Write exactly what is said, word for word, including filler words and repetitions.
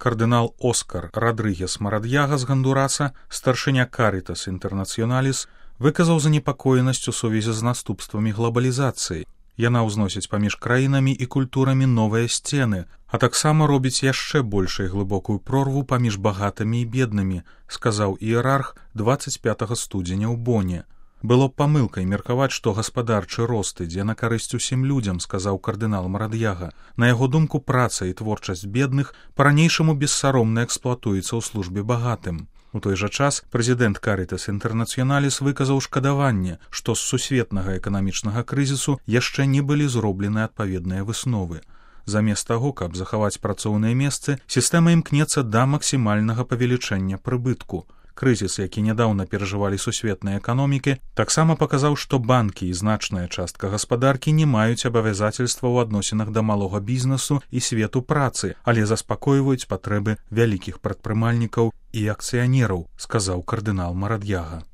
Кардынал Оскар Радрыгес Марадьяга з Гандураса, старшыня Каритас Интернационалис, выказаў занепакоенасць у сувязі з наступствамі глобалізацыі. Яна ўзносіць паміж краінамі і культурамі новыя сцены, а таксама робіць яшчэ большай глыбокую прорву паміж багатымі і беднымі, сказаў іерарх дваццаць пятага студзеня ў Боне. Было б памылкай меркаваць, што гаспадарчы рост ідзе на карысць усім людзям, сказаў кардынал Марадьяга. На яго думку, праца і творчасць бедных па-ранейшаму бессаромна эксплуатуецца ў службе багатым. У той жа час прэзідэнт Каритас Интернационалис выказаў шкадаванне, што з сусветнага эканамічнага крызісу яшчэ не былі зроблены адпаведныя высновы. Замест таго, каб захаваць працоўныя месцы, сістэма імкнецца да максімальнага павелічэння прыбытку. Крызіс, які нядаўна перажывалі сусветныя эканомікі, таксама паказаў, што банкі і значная частка гаспадаркі не маюць абавязацельства ў адносінах да малога бізнесу і свету працы, але заспакойваюць патрэбы вялікіх прадпрымальнікаў і акцыянераў, сказаў кардынал Марадьяга.